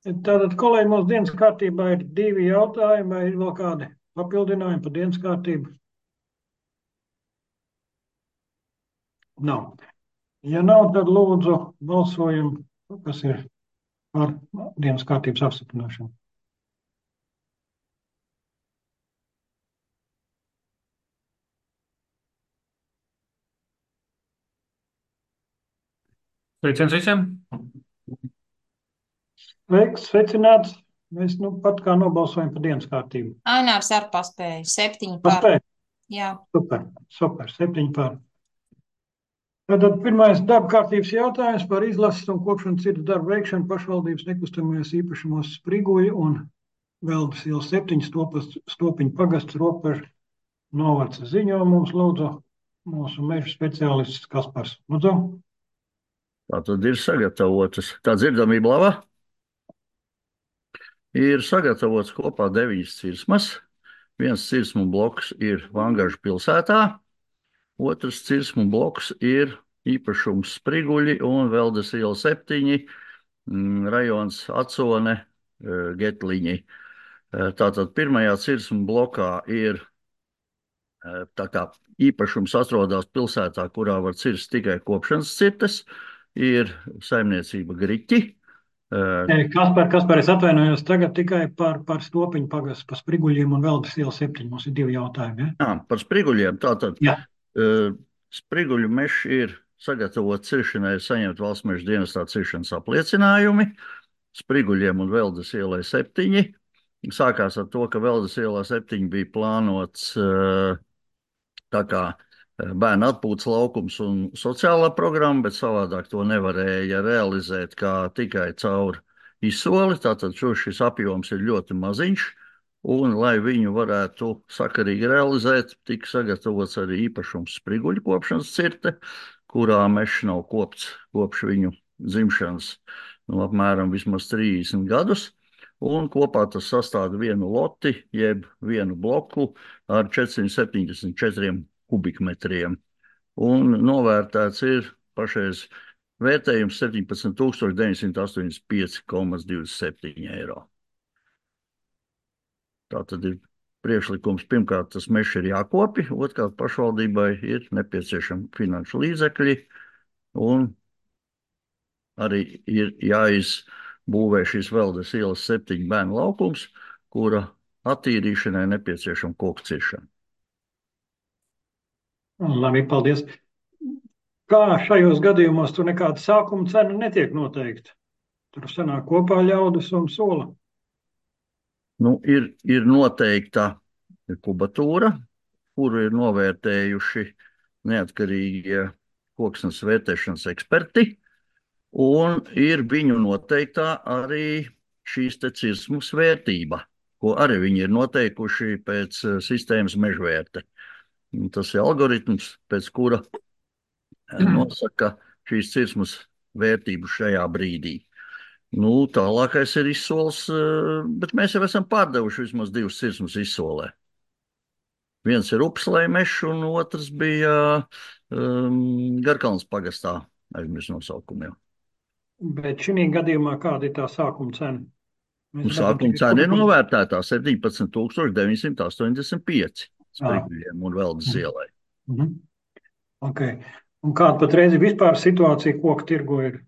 Tātad, kolēģi, mūsu dienas kārtībā ir divi jautājumi, vai ir vēl kādi papildinājumi par dienas kārtību? Nav. Ja nav, tad lūdzu balsojam, kas ir par dienas kārtības apstiprināšanu. Sveiciens visiem! Sveicināts! Mēs pat kā nobalsojam par dienas kārtību. Ainārs ar paspēju. 7 par. Paspēj? Jā. Super, 7 par. Tātad pirmais darba kārtības jautājums par izlases un kopšanas citu darbu veikšanu pašvaldības nekustamajos īpašumos Spriguļi un Veldas iela 7 Stopiņu pagasts robežu novads. Ziņo mums lūdzu mūsu meža speciālists Kaspars. Lūdzu. Tātad ir sagatavotas. Tā dzirdamība laba? Ir sagatavots kopā 9 cirsmas. Viens cirsmu bloks ir Vangažu pilsētā, otrs cirsmu bloks ir īpašums Spriguļi un Veldas iela 7, rajons Acone, Getliņi. Tātad pirmajā cirsmu blokā ir tā kā īpašums atrodas pilsētā, kurā var cirst tikai kopšanas cirtes, ir saimniecība Griķi. Kaspar, es atvainojos tagad tikai par Stopiņu pagastu, par Spriguļiem un Veldas iela 7. Mums ir 2 jautājumi. Ja? Par Spriguļiem. Tātad Jā. Spriguļu mežs ir sagatavots ciršanai, saņemt valsts meža dienestā ciršanas apliecinājumi. Spriguļiem un Veldas ielai 7. Sākās ar to, ka Veldas ielā 7 bija plānots tā kā bērnu atpūtas laukums un sociālā programma, bet savādāk to nevarēja realizēt kā tikai caur izsoli. Tātad šis apjoms ir ļoti maziņš, un, lai viņu varētu sakarīgi realizēt, tika sagatavots arī īpašums Spriguļu kopšanas cirte, kurā mežs nav kopts kopš viņu dzimšanas apmēram vismaz 30 gadus. Un kopā tas sastāv vienu loti, jeb vienu bloku ar 474 kubikmetriem. Un novērtēts ir pašreiz vērtējums 17 985,27 eiro. Tā tad ir priekšlikums. Pirmkārt, tas mežs ir jākopja, otrkārt, pašvaldībai ir nepieciešami finanšu līdzekļi, un arī ir jāizbūvē šīs Veldas ielas 7 bērnu laukums, kura attīrīšanai nepieciešama koku ciršana. Labi, paldies. Kā šajos gadījumos tur nekāda sākuma cena netiek noteikta? Tur sanāk kopā ļaudis un sola. Ir noteikta kubatūra, kuru ir novērtējuši neatkarīgie koksnes vērtēšanas eksperti, un ir viņu noteiktā arī šīs te cirsmas vērtība, ko arī viņi ir noteikuši pēc sistēmas mežvērte. Tas ir algoritms, pēc kura nosaka šīs cirsmas vērtību šajā brīdī. Tālākais ir izsoles, bet mēs jau esam pārdevuši vismaz 2 cirsmas izsolē. Viens ir Upslē mežs, un otrs bija Garkalnas pagastā, aizmirst nosaukumu jau. Bet šī gadījumā kāda ir tā sākuma cena? Sākuma cena ir novērtētā 17 985 Spriguļiem un Veldas ielai. Okay. Un kāda patreiz ir vispār situācija koku tirgu ir?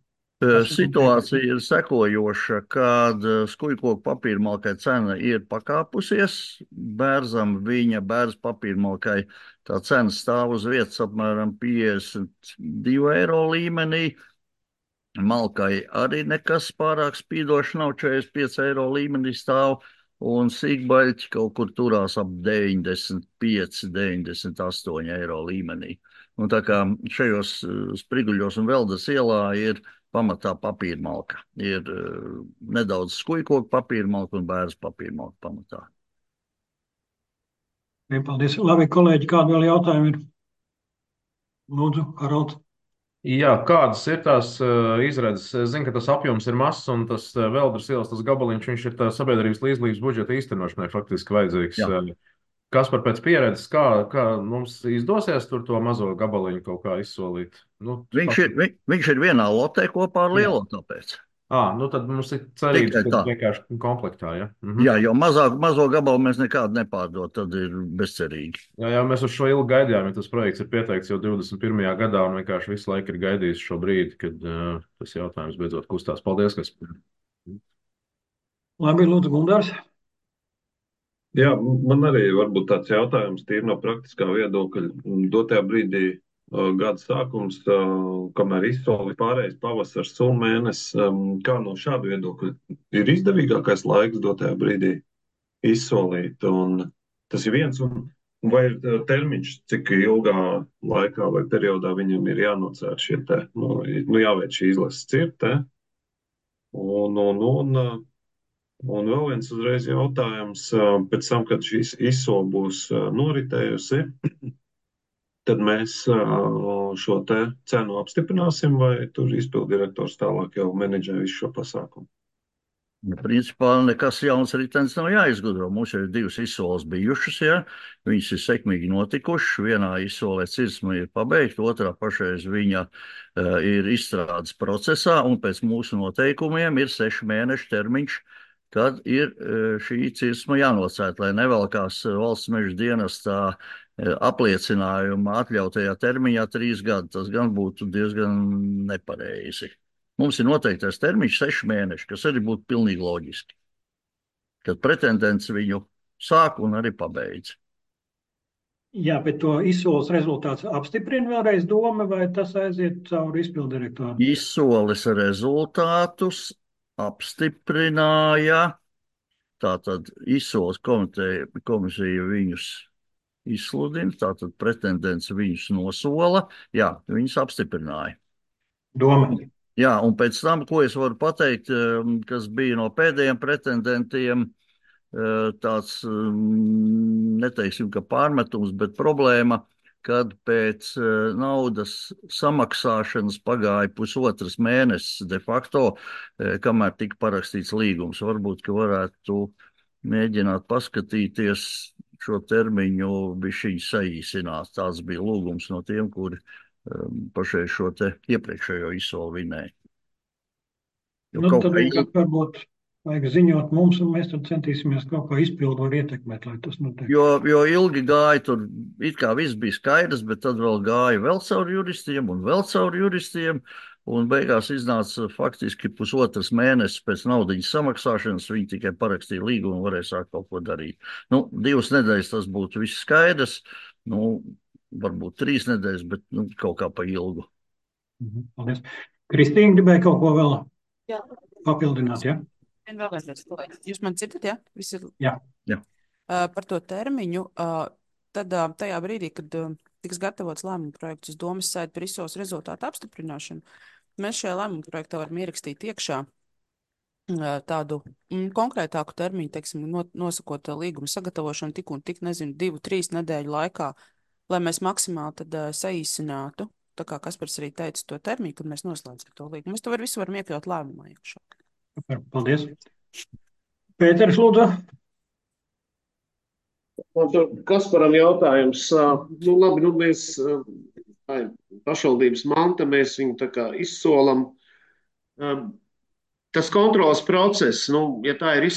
Situācija ir sekojoša, kad skujkoku papīrmalkai cena ir pakāpusies. Bērzam viņa bērza papīrmalkai tā cena stāv uz vietas apmēram 52 eiro līmenī. Malkai arī nekas pārāk spīdoši nav, 45 eiro līmenī stāv, un sīkbaļķi kaut kur turās ap 95, 98 eiro līmenī. Un tā kā šajos Spriguļos un Veldas ielā ir pamatā papīrmalka. Ir nedaudz skujkoku papīrmalka un bērza papīrmalka pamatā. Paldies. Labi, kolēģi, kādi vēl jautājumi ir? Lūdzu, Haralds. Jā, kādas ir tās izredzes? Es zinu, ka tas apjoms ir mazs, un tas Veldas ielas, tas gabaliņš, viņš ir tā sabiedrības līdzdalības budžeta īstenošanai faktiski vajadzīgs. Jā. Kaspar, pēc pieredzes, kā mums izdosies tur to mazo gabaliņu kaut kā izsolīt? Viņš ir vienā lotē kopā ar lielo, tāpēc. Nu tad mums ir cerības, Tikai ka tā. vienkārši komplektā, ja? Jā, jo mazo gabalu mēs nekādu nepārdod, tad ir bezcerīgi. Jā, mēs uz šo ilgi gaidījām, ja tas projekts ir pieteikts jau 21. gadā un vienkārši visu laiku ir gaidījis šo brīdi, kad tas jautājums beidzot kustās. Paldies, kas. Labi, lūdzu, Gundārs. Jā, man arī varbūt tāds jautājums tīri no praktiskā viedokļa. Dotajā brīdī gada sākums, kamēr izsoli pārējais pavasars un mēnesis, kā no šāda viedokļa ir izdevīgākais laiks dotajā brīdī izsolīt. Un tas ir viens, un vai ir termiņš, cik ilgā laikā vai periodā viņam ir jānocēr šie te, jāveic šī izlases cirte. Un vēl viens uzreiz jautājums, pēc tam, kad šī izsola būs noritējusi, tad mēs šo te cenu apstiprināsim, vai tur izpildirektors tālāk jau menedžē visu šo pasākumu? Principā nekas jauns ritenis nav jāizgudro. Mums ir 2 izsoles bijušas, ja? Viņas ir sekmīgi notikušas. Vienā izsolē cirsma ir pabeigta, otrā pašreiz viņa ir izstrādes procesā, un pēc mūsu noteikumiem ir 6 mēnešu termiņš, kad ir šī cirsma jānocērt, lai nevelkās valsts meža dienestā apliecinājuma atļautajā termiņā 3 gadi. Tas gan būtu diezgan nepareizi. Mums ir noteiktais termiņš 6 mēneši, kas arī būtu pilnīgi loģiski, kad pretendents viņu sāk un arī pabeidz. Jā, bet to izsoles rezultāts apstiprina vēlreiz doma, vai tas aiziet cauri izpildirektoru? Izsoles rezultātus apstiprināja, tātad izsoles komisija viņus izsludina, tātad pretendents viņus nosola, jā, viņus apstiprināja. Doma. Jā, un pēc tam, ko es varu pateikt, kas bija no pēdējiem pretendentiem, tāds, neteiksim, ka pārmetums, bet problēma, kad pēc naudas samaksāšanas pagāja pusotras mēnesis de facto, kamēr tika parakstīts līgums. Varbūt, ka varētu mēģināt paskatīties šo termiņu bišķiņ saīsināt. Tāds bija lūgums no tiem, kuri pašai šo te iepriekšējo izsoli vinēja. Tad varbūt vajag ziņot mums, un mēs tad centīsimies kaut kā izpildu var ietekmēt, lai tas notiek. Jo ilgi gāja, tur it kā viss bija skaidrs, bet tad vēl gāja vēl caur juristiem un vēl caur juristiem, un beigās iznāca faktiski pusotras mēnesis pēc naudiņas samaksāšanas, viņi tikai parakstīja līgumu un varēja sākt kaut ko darīt. 2 nedēļas tas būtu viss skaidrs, varbūt 3 nedēļas, bet kaut kā pa ilgu. Paldies. Kristīna gribēja kaut ko vēl Jā. papildināt, ja? Jūs man dzirdat, ja? Viss ir... Jā. Par to termiņu, tad tajā brīdī, kad tiks gatavots lēmuma projekts uz domas sēdi par izsoles rezultātu apstiprināšanu, mēs šajā lēmuma projektā varam ierakstīt iekšā tādu konkrētāku termiņu, teiksim, nosakot līguma sagatavošanu tik un tik, 2-3 nedēļu laikā, lai mēs maksimāli tad saīsinātu, tā kā Kaspars arī teica, to termiņu, kad mēs noslēdzam to līgumu. Mēs to visu varam iekļaut lēmumā iekšā. Paldies. Pēters, lūdzu. Man tur Kasparam jautājums. Labi, mēs pašvaldības manta, mēs viņu tā kā izsolam. Tas kontrolas process, ja tā ir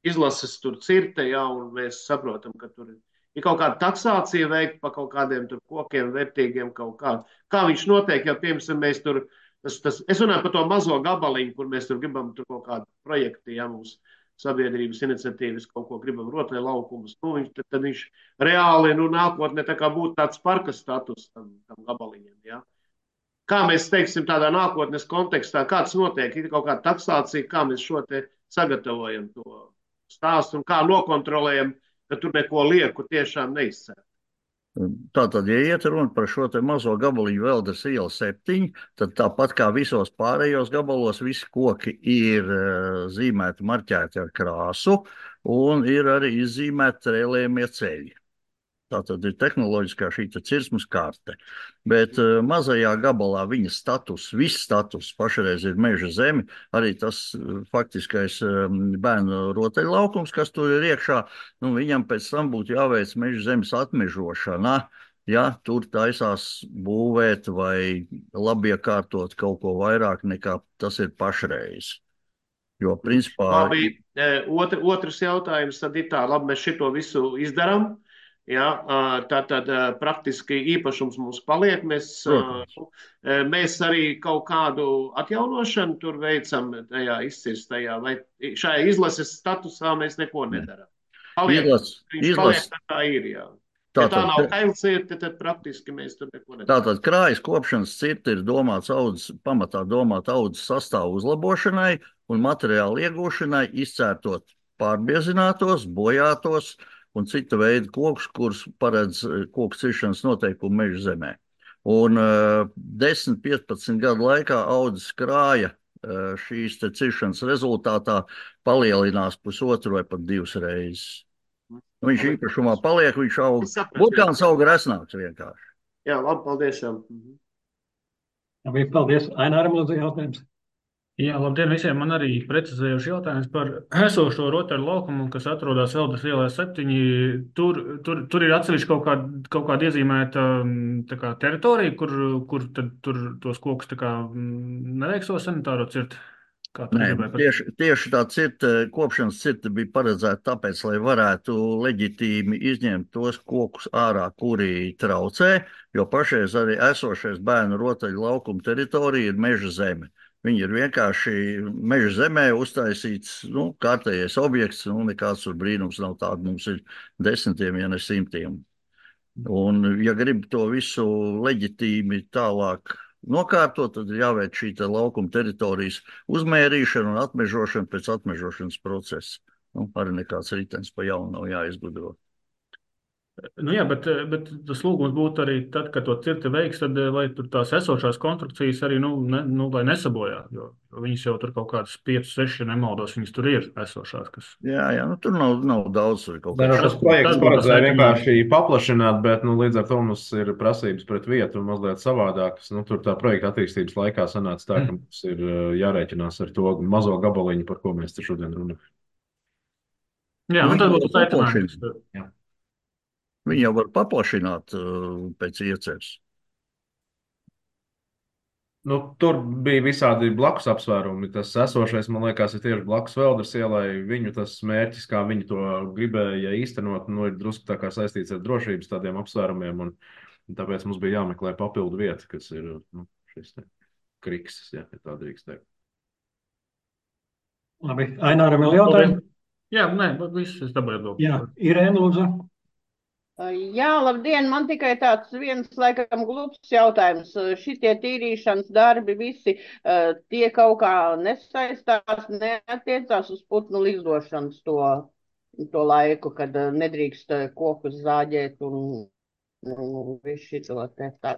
izlases tur cirte, jā, un mēs saprotam, ka tur ir kaut kāda taksācija veikta pa kaut kādiem tur kokiem vērtīgiem kaut kā. Kā viņš notiek, ja piemēram mēs tur, es runāju par to mazo gabaliņu, kur mēs tur gribam tur kaut kādu projektu, ja mums sabiedrības iniciatīvas kaut ko gribam rotai laukumus, tad viņš reāli, nākotnē tā kā būtu tāds parka status tam gabaliņam, ja. Kā mēs teiksim tādā nākotnes kontekstā, kāds notiek, ir kaut kāda taksācija, kā mēs šo te sagatavojam to stāstu un kā nokontrolējam, ka tur neko lieku tiešām neizcēl. Tātad, ja iet runa par šo te mazo gabaliņu Veldes iela 7, tad tāpat kā visos pārējos gabalos, visi koki ir zīmēti, marķēti ar krāsu un ir arī izzīmēti trēlējamie ceļi. Tātad ir tehnoloģiskā šī cirsmas karte. Bet mazajā gabalā viņa status, viss status pašreiz ir meža zemi, arī tas faktiskais bērnu rotaļlaukums, kas tur ir iekšā, viņam pēc tam būtu jāveic meža zemes atmežošana, ja tur taisās būvēt vai labiekārtot kaut ko vairāk nekā tas ir pašreiz. Jo, principā, Labi, otrs jautājums tad ir tā, labi, mēs šito visu izdarām. Ja, tātad praktiski īpašums mums paliek. protams, Mēs arī kaut kādu atjaunošanu tur veicam tajā izcirstajā, vai šajā izlases statusā mēs neko nedarām. Paliek, viņš paliek tā kā ir, jā. Ja tā nav kailcirte, tad praktiski mēs tur neko nedarām. Tātad krājas kopšanas cirte ir domāts pamatā domāt audzes sastāvu uzlabošanai un materiālu iegūšanai, izcērtot pārbiezinātos, bojātos un cita veida kokus, kurus paredz koku ciršanas noteikumu meža zemē. Un 10-15 gadu laikā audzes krāja šīs ciršanas rezultātā palielinās 1,5 vai pat 2 reizes. Viņš īpašumā paliek, viņš aug. Burkāns auga resnāks vienkārši. Jā, labi, paldies. Jā. Labi, paldies. Aināram lūdzu jautājums. Jā, labdien visiem. Man arī precizējuši jautājums par esošo rotaļu laukumu, kas atrodas Veldes ielā 7. Tur ir atsevišķi kaut kāda iezīmēta tā kā teritorija, kur tad tur tos kokus tā kā neveikso sanitāro cirti. Nē, tieši tā kopšanas cirte bija paredzēta tāpēc, lai varētu leģitīmi izņemt tos kokus ārā, kuri traucē, jo pašreiz arī esošais bērnu rotaļu laukuma teritorija ir meža zeme. Viņi ir vienkārši meža zemē uztaisīts kārtējais objekts, nekāds tur brīnums nav tāda, mums ir desmitiem, ja ne simtiem. Un, ja grib to visu leģitīmi tālāk nokārtot, tad ir jāveic šī laukuma teritorijas uzmērīšana un atmežošana pēc atmežošanas procesa. Arī nekāds ritenis pa jaunu nav jāizgudro. Jā, bet tas lūgums būtu arī tad, kad to cirti veiks, tad lai tur tās esošās konstrukcijas arī, lai nesabojā, jo viņas jau tur kaut kādas 5, 6, nemaldos, viņas tur ir esošās, kas... Jā, tur nav daudz kaut kā. Tas projekts paredzēja vienkārši paplašināt, bet, līdz ar to mums ir prasības pret vietu un mazliet savādākas. Tur tā projekta attīstības laikā sanāca tā, ka mums ir jārēķinās ar to mazo gabaliņu, par ko mēs te šodien runājam. Jā, tad būtu aicinājums. Jā. Viņi jau var paplašināt pēc ieceres. Tur bija visādi blakus apsvērumi. Tas esošais, man liekas, ir tieši blakus Veldes ielai. Viņu tas mērķis, kā viņi to gribēja īstenot, ir drusku tā kā saistīts ar drošības tādiem apsvērumiem. Un tāpēc mums bija jāmeklē papildu vieta, kas ir šis krikses, ja tā drīkst teikt. Labi, Aināram vēl jautājumu? Jā, viss es dabūju atbildi. Jā, Irēna lūdzu. Jā, labdien, man tikai tāds viens, laikam, glups jautājums. Šitie tīrīšanas darbi visi tie kaut kā nesaistās, neatiecās uz putnu lidošanas to laiku, kad nedrīkst kokus zāģēt un visu šito te tā.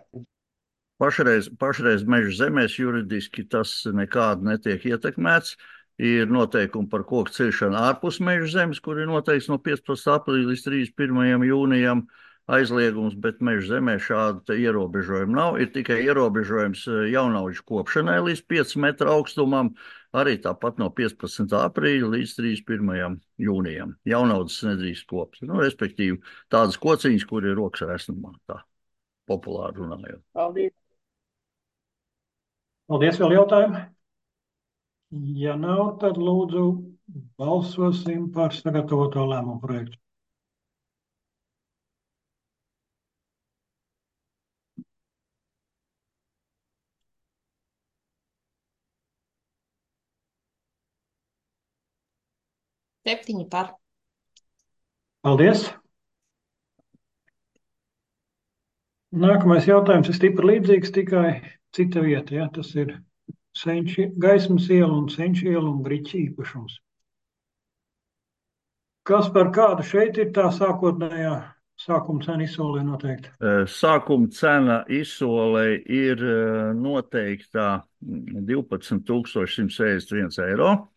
Pašreiz meža zemēs juridiski tas nekādi netiek ietekmēts. Ir noteikumi par koku ciršanu ārpus meža zemes, kur ir noteikts no 15. aprīļa līdz 31. jūnijam aizliegums, bet meža zemē šāda ierobežojuma nav. Ir tikai ierobežojums jaunauģu kopšanai līdz 5 metru augstumam, arī tāpat no 15. aprīļa līdz 31. jūnijam. Jaunaudzes nedrīkst kopt. Respektīvi, tādas kociņas, kur ir rokas resnumā, tā populāri runājot. Paldies. Paldies, vēl jautājumi? Ja nav, tad lūdzu balsosim par sagatavoto lēmumu projektu. Septiņi par. Paldies. Nākamais jautājums ir stipri līdzīgs, tikai cita vieta. Ja? Tas ir Gaismas iela un Senču iela un Griķa īpašums. Kas par kādu šeit ir tā sākotnējā sākuma cena izsolē noteikta? Sākuma cena izsolē ir noteikta 12,161 eiro.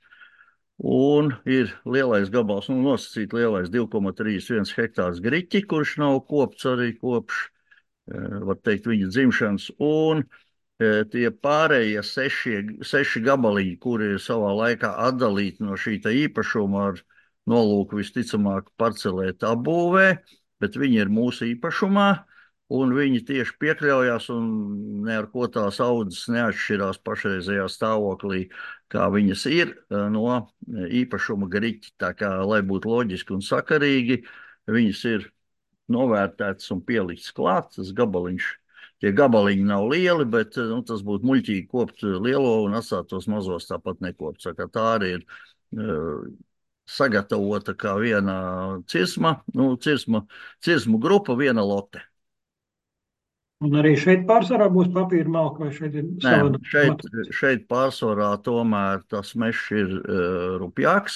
Un ir lielais gabals, nosacīt lielais 2,31 hektārs Griķi, kurš nav kopts arī kopš, var teikt, viņa dzimšanas. Un tie pārējie 6 gabaliņi, kuri ir savā laikā atdalīti no šī īpašuma ar nolūku visticamāk parcelēt apbūvē, bet viņi ir mūsu īpašumā. un viņi tieši piekļaujās, un ne ar ko tās audzes neatšķirās pašreizējā stāvoklī, kā viņas ir no īpašuma griķi. Tā kā, lai būtu loģiski un sakarīgi, viņas ir novērtētas un pieliktas klāt, tas gabaliņš. Tie gabaliņi nav lieli, bet tas būtu muļķīgi kopt lielo un atstāt tos mazos tāpat nekopt. Tā arī ir sagatavota kā viena cirsmu grupa, viena lote. Un arī šeit pārsvarā būs papīra malka, vai šeit ir savādāk? Šeit pārsvarā tomēr tas mežs ir rupjāks.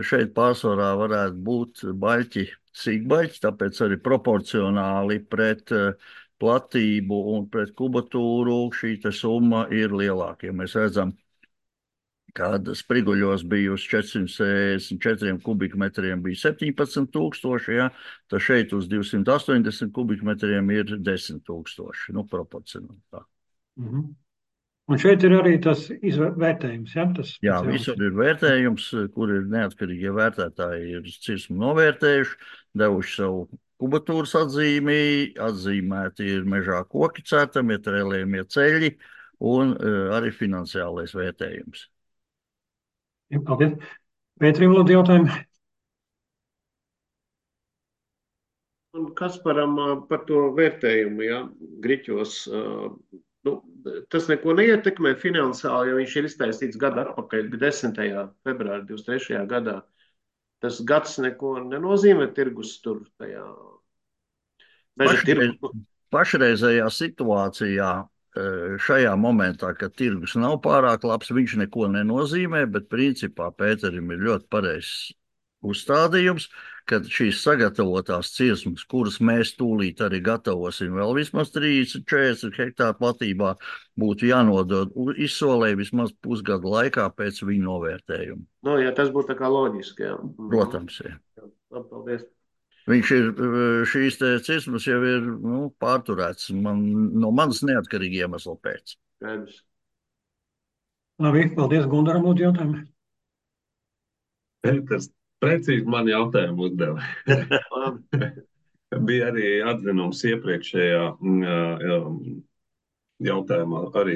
Šeit pārsvarā varētu būt baļķi, sīkbaļķi, tāpēc arī proporcionāli pret platību un pret kubatūru šī summa ir lielāka. Ja mēs redzam, kad spriguļos bija uz 464 kubikmetriem bija 17,000, ja, tad šeit uz 280 kubikmetriem ir 10,000, proporcionāli tā. Un šeit ir arī tas vērtējums, ja? Jā, visur ir vērtējums, kur ir neatkarīgie vērtētāji ir cirsmu novērtējuši, devuši savu kubatūras atzīmi, atzīmēti ir mežā koki cērtamie, trēlējamie ceļi un arī finansiālais vērtējums. Paldies. Pēterim, lūdzu, jautājumu. Un Kasparam par to vērtējumu, ja, griķos, tas neko neietekmē finansiāli, jo viņš ir iztaisīts gadu atpakaļ, 10. februāra 23. gadā. Tas gads neko nenozīmē tirgus tur tajā meža tirgu. Pašreizējā situācijā šajā momentā, kad tirgus nav pārāk labs, viņš neko nenozīmē, bet principā Pēterim ir ļoti pareizs uzstādījums, kad šīs sagatavotās cirsmas, kuras mēs tūlīt arī gatavosim vēl vismaz 30-40 hektāru platībā, būtu jānodod izsolē vismaz pusgadu laikā pēc viņa novērtējuma. Jā, tas būtu tā kā loģiski, jā. Protams, jā. Paldies. Viņš ir, šīs cirsmas jau ir pārturēts no manas neatkarīgi iemesla pēc. Labi, paldies, Gundaram, lūdzu, jautājumu. Tas precīzi man jautājumu uzdeva. Bija arī atzinums iepriekšējā jautājumā, arī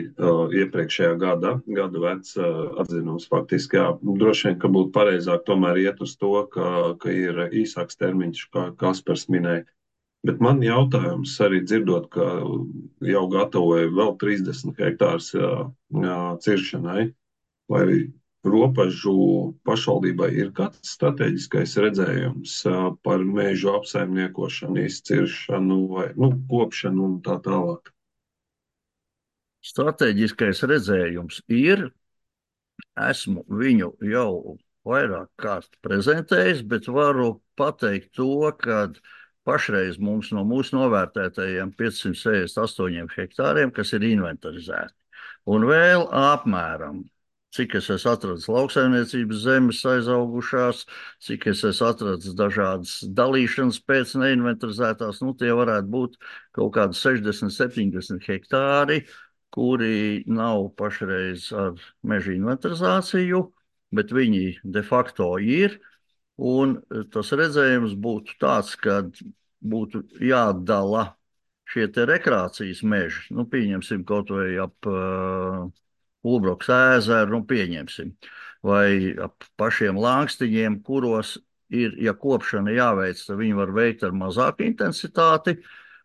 iepriekšējā gada vecs atzinums faktiski. Jā, droši vien, ka būtu pareizāk tomēr iet uz to, ka ir īsāks termiņš, kā Kaspars minēja. Bet man jautājums arī dzirdot, ka jau gatavoja vēl 30 hektārus ciršanai, vai Ropažu pašvaldībai ir kāds strateģiskais redzējums par mežu apsaimniekošanu, izciršanu vai kopšanu un tā tālāk? Strateģiskais redzējums ir. Esmu viņu jau vairāk kārt prezentējis, bet varu pateikt to, ka pašreiz mums no mūsu novērtētajiem 568 hektāriem, kas ir inventarizēti, un vēl apmēram, cik es esmu atradis lauksaimniecības zemes aizaugušās, cik es esmu atradis dažādas dalīšanas pēc neinventarizētās, tie varētu būt kaut kādi 60-70 hektāri, kuri nav pašreiz ar meža inventarizāciju, bet viņi de facto ir. Un tas redzējums būtu tāds, ka būtu jādala šie te rekreācijas meži. Pieņemsim kaut vai ap Ulbroks ezeru, pieņemsim. Vai ap pašiem Langstiņiem, kuros ir, ja kopšana jāveic, tad viņi var veikt ar mazāku intensitāti.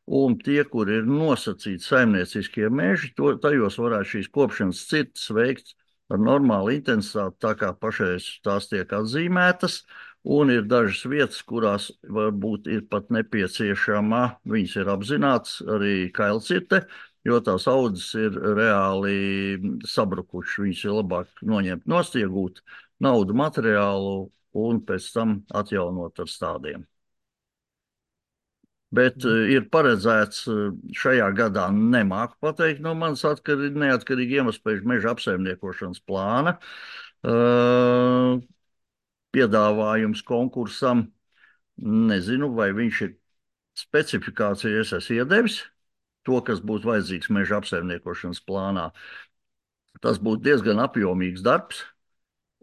Un tie, kur ir nosacīti saimnieciskie meži, tajos varētu šīs kopšanas cirtas veikt ar normālu intensitāti, tā kā pašreiz tās tiek atzīmētas. Un ir dažas vietas, kurās varbūt ir pat nepieciešama, viņas ir apzināts, arī kailcirte, jo tās audzes ir reāli sabrukušas. Viņas ir labāk noņemt nost, iegūt naudu, materiālu un pēc tam atjaunot ar stādiem. Bet ir paredzēts šajā gadā, nemāku pateikt no manas neatkarīgi iemeslu meža apsaimniekošanas plāna. Piedāvājums konkursam, nezinu, vai viņš ir specifikācija, es esmu iedevis to, kas būtu vajadzīgs meža apsaimniekošanas plānā. Tas būtu diezgan apjomīgs darbs,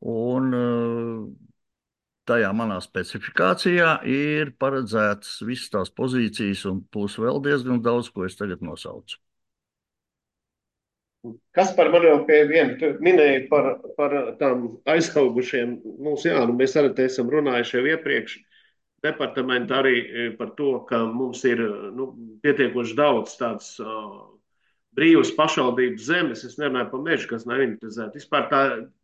un tajā manā specifikācijā ir paredzētas visas tās pozīcijas, un plus vēl diezgan daudz, ko es tagad nosaucu. Kas par mani jau pie viena, tu minēji par tām aizaugušiem. Mēs arī te esam runājuši jau iepriekš. Departamenta arī par to, ka mums ir pietiekoši daudz tāds brīvas pašvaldības zemes. Es nerunāju par mežu, kas nav inventarizēti. Vispār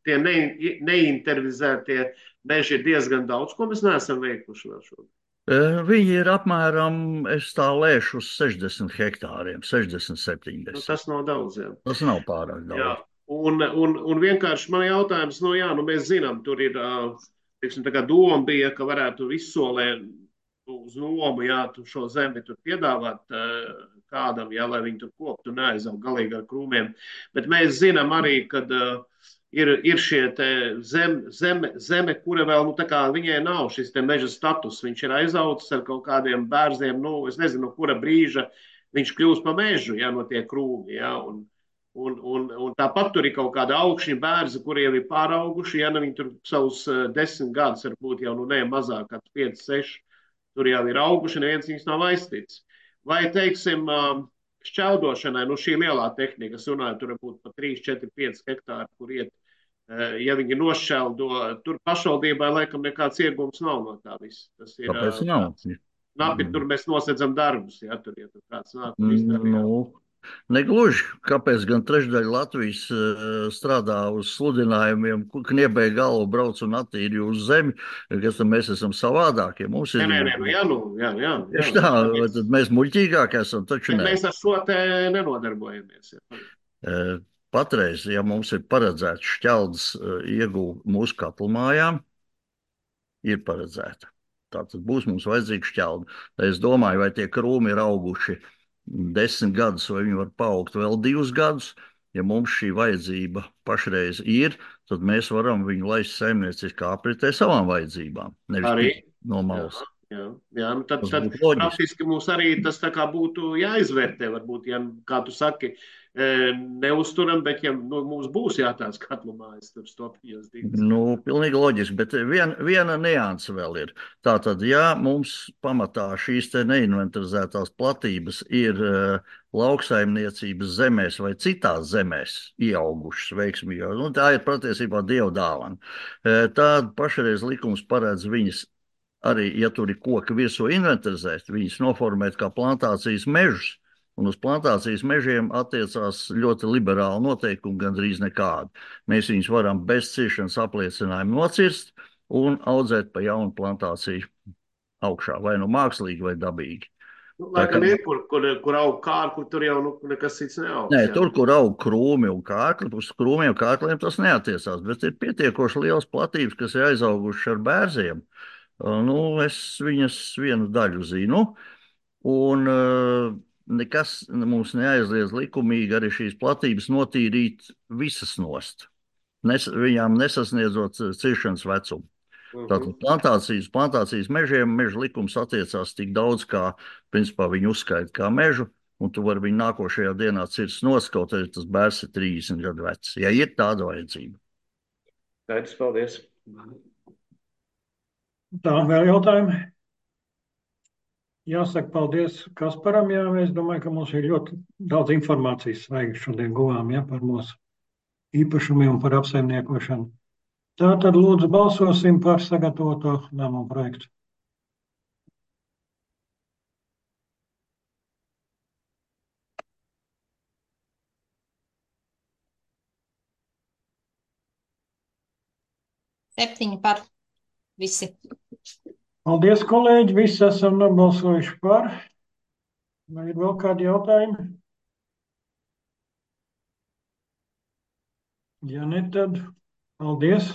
tie neintervizētie meži ir diezgan daudz, ko mēs neesam veikuši vēl šodien. Viņi ir apmēram, es tā lēšu, uz 60 hektāriem, 60, 70. Tas nav daudz, jā. Tas nav pārāk daudz. Jā. Un vienkārši man jautājums, mēs zinām, tur ir, teiksim, tā kā doma bija, ka varētu izsolē uz nomu, šo zemi tur piedāvāt kādam, lai viņi tur koptu un neaizaug galīgi ar krūmiem. Bet mēs zinām arī, kad ir šie zeme, kura vēl, tā kā viņai nav šis te meža status, viņš ir aizaucis ar kaut kādiem bērziem, es nezinu, no kura brīža viņš kļūst pa mežu, no tie krūmi, un tāpat tur ir kaut kāda augšņa bērza, kuriem ir pārauguši, viņi tur savus 10 gadus, varbūt jau, ne mazāk, kā 5, 6, tur jau ir auguši, neviens viņus nav aizticis. Vai, teiksim, šķeldošanai, šī lielā tehnika, es runāju, tur varbūt pa 3, 4, 5 hektāri, kur iet, ja viņi nošķeldo, tur pašvaldībai laikam nekāds iegums nav no tā viss. Tas ir, kāpēc nav? Napi, tur mēs nosedzam darbus, tur kāds nāk un izdara. Negluži. Kāpēc gan trešdaļa Latvijas strādā uz sludinājumiem, kniebēja galvu, brauc un attīri uz zemi, kas tad mēs esam savādākie? Mums ir... Jā. Tā, tad mēs muļķīgāk esam, taču ne. Mēs ar šo te nenodarbojamies. Patreiz, ja mums ir paredzēts šķeldas iegūt mūsu katlumājām, ir paredzēta. Tātad būs mums vajadzīga šķelda. Es domāju, vai tie krūmi ir auguši 10 gadus, vai viņi var paaugt vēl 2 gadus. Ja mums šī vajadzība pašreiz ir, tad mēs varam viņu laist saimnieciskā apritē savām vajadzībām. Nevis no malas. Jā, tad praktiski mums arī tas tā kā būtu jāizvērtē, varbūt, kā tu saki, neuzturam, bet ja mums būs jātās katlumājas tur stopījos divas. Pilnīgi loģiski, bet viena nianse vēl ir. Tātad, ja mums pamatā šīs te neinventarizētās platības ir lauksaimniecības zemēs vai citās zemēs ieaugušas veiksmīgi, tā ir patiesībā Dieva dāvana. Tad pašreiz likums paredz viņas arī, ja tur ir koki virsū inventarizēt, viņas noformēt kā plantācijas mežus. Un uz plantācijas mežiem attiecās ļoti liberāli noteikumi, gandrīz nekādi. Mēs viņus varam bez ciršanas apliecinājumu nocirst un audzēt pa jaunu plantāciju augšā, vai mākslīgi, vai dabīgi. Laikam ir, kur aug kārkli, tur jau nekas cits neaug. Nē, tur, kur aug krūmi un kārkli, uz krūmiem kārkliem tas neatiecās, bet ir pietiekoši liels platības, kas ir aizauguši ar bērziem. Es viņas vienu daļu zinu, un nekas mums neaizliedz likumīgi arī šīs platības notīrīt visas nost, viņām nesasniedzot ciršanas vecumu. Tātad plantācijas mežiem meža likums attiecās tik daudz, kā principā viņi uzskaita kā mežu, un tu vari viņu nākošajā dienā cirst nost, kaut arī tas bērs ir 30 gadu vecs, ja ir tāda vajadzība. Tētis, paldies. Tā, vēl jautājumi? Jāsaka paldies Kasparam, es domāju, ka mums ir ļoti daudz informācijas svaigi šodien guvām, par mūsu īpašumiem un par apsaimniekošanu. Tātad lūdzu balsosim par sagatavoto lēmumu projektu. Septiņi par visi. Paldies, kolēģi, visi esam nobalsojuši par. Vai ir vēl kādi jautājumi? Ja ne, tad paldies.